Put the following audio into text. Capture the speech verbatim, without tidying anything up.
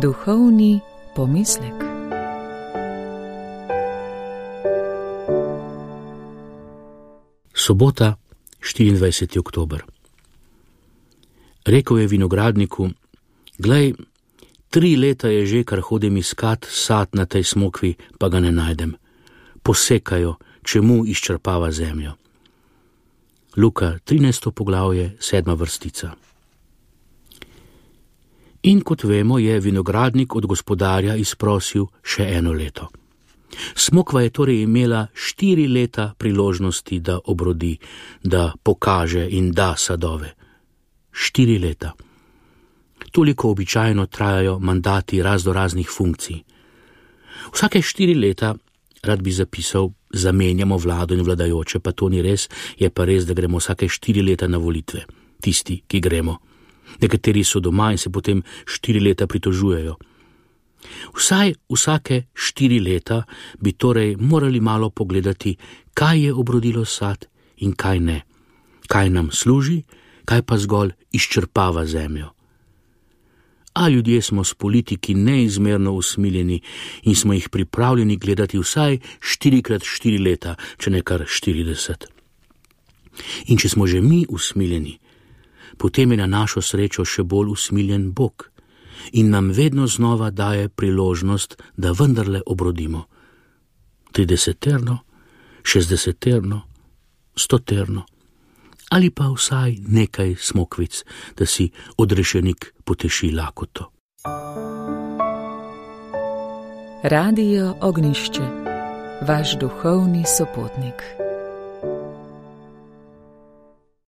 Duhovni pomislek. Sobota, štiriindvajseti oktober. Rekel je vinogradniku: glej, tri leta je že, kar hodim iskat sad na tej smokvi, pa ga ne najdem. Posekajo, čemu izčrpava zemljo. Luka, trinajsto poglavje, sedma vrstica. In kot vemo, je vinogradnik od gospodarja izprosil še eno leto. Smokva je torej imela štiri leta priložnosti, da obrodi, da pokaže in da sadove. Štiri leta. Toliko običajno trajajo mandati raznoraznih funkcij. Vsake štiri leta, rad bi zapisal, zamenjamo vlado in vladajoče, pa to ni res, je pa res, da gremo vsake štiri leta na volitve. Tisti, ki gremo. Nekateri so doma in se potem štiri leta pritožujejo. Vsaj vsake štiri leta bi torej morali malo pogledati, kaj je obrodilo sad in kaj ne. Kaj nam služi, kaj pa zgolj izčrpava zemljo. A ljudje smo s politiki neizmerno usmiljeni in smo jih pripravljeni gledati vsaj štirikrat štiri leta, če ne kar štirideset. In če smo že mi usmiljeni, potem je na našo srečo še bolj usmiljen Bog in nam vedno znova daje priložnost, da vendarle obrodimo. trideseterno, šestdeseterno, stoterno ali pa vsaj nekaj smokvic, da si odrešenik poteši lakoto. Radio Ognjišče, vaš duhovni sopotnik.